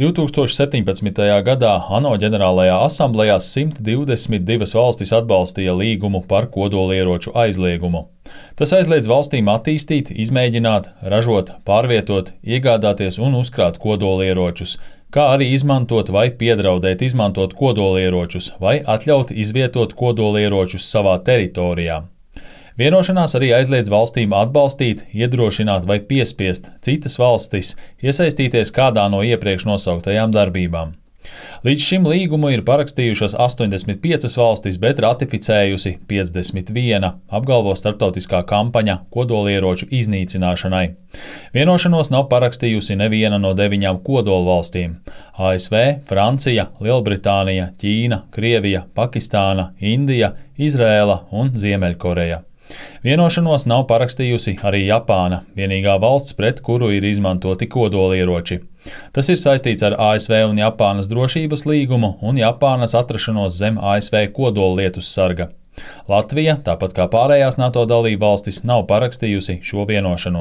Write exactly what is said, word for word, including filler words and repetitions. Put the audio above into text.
divtūkstoš septiņpadsmitajā gadā ANO ģenerālajā asamblejā simt divdesmit divas valstis atbalstīja līgumu par kodolieroču aizliegumu. Tas aizliedz valstīm attīstīt, izmēģināt, ražot, pārvietot, iegādāties un uzkrāt kodolieročus, kā arī izmantot vai piedraudēt izmantot kodolieročus vai atļaut izvietot kodolieročus savā teritorijā. Vienošanās arī aizliedz valstīm atbalstīt, iedrošināt vai piespiest citas valstis iesaistīties kādā no iepriekš nosauktajām darbībām. Līdz šim līgumu ir parakstījušas astoņdesmit piecas valstis, bet ratificējusi piecdesmit viena, apgalvo starptautiskā kampaņa kodolieroču iznīcināšanai. Vienošanos nav parakstījusi neviena no deviņām kodolvalstīm – A S V, Francija, Lielbritānija, Ķīna, Krievija, Pakistāna, Indija, Izrēla un Ziemeļkoreja. Vienošanos nav parakstījusi arī Japāna, vienīgā valsts, pret kuru ir izmantoti kodolieroči. Tas ir saistīts ar A S V un Japānas drošības līgumu un Japānas atrašanos zem A S V kodolietus sarga. Latvija, tāpat kā pārējās NATO dalībvalstis, nav parakstījusi šo vienošanos.